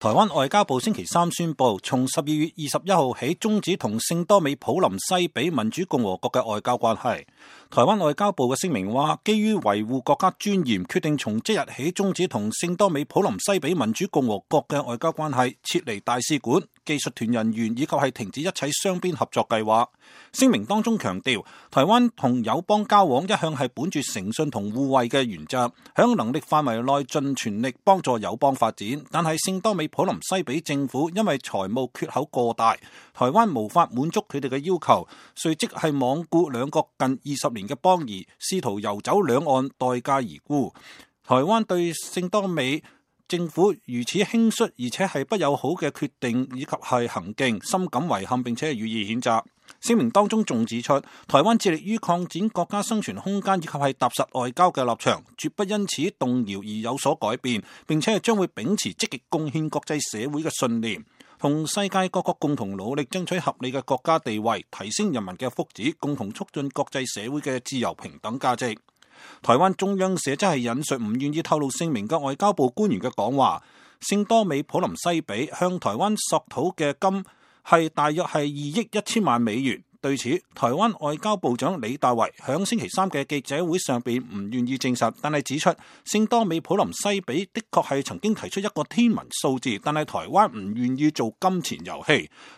台灣外交部星期三宣布，從12月21號起終止同聖多美普林西比民主共和國嘅外交關係。台灣外交部嘅聲明話，基於維護國家尊嚴，決定從即日起終止同聖多美普林西比民主共和國嘅外交關係，撤離大使館、技術團人員以及係停止一切雙邊合作計劃。聲明當中強調，台灣同友邦交往一向係本住誠信同互惠嘅原則，響能力範圍內盡全力幫助友邦發展。但係聖多美普林西比政府因為財務缺口過大，台灣無法滿足佢哋嘅要求，隨即係罔顧兩國近20年嘅邦誼，試圖游走兩岸，待價而沽。台灣對聖多美政府如此輕率而且係不友好嘅決定以及係行徑，深感遺憾，並且係予以譴責。聲明當中仲指出，台灣致力於擴展國家生存空間以及係踏實外交嘅立場，絕不因此動搖而有所改變，並且係將會秉持積極貢獻國際社會嘅信念，同世界各國共同努力爭取合理嘅國家地位，提升人民嘅福祉，共同促進國際社會嘅自由平等價值。台灣中央社則係引述唔願意透露姓名嘅外交部官員嘅講話，聖多美普林西比向台灣索討嘅金係大約係2億1千萬美元。對此，台灣外交部長李大維響星期三嘅記者會上邊唔願意證實，但係指出聖多美普林西比的確係曾經提出一個天文數字，但係台灣唔願意做金錢遊戲。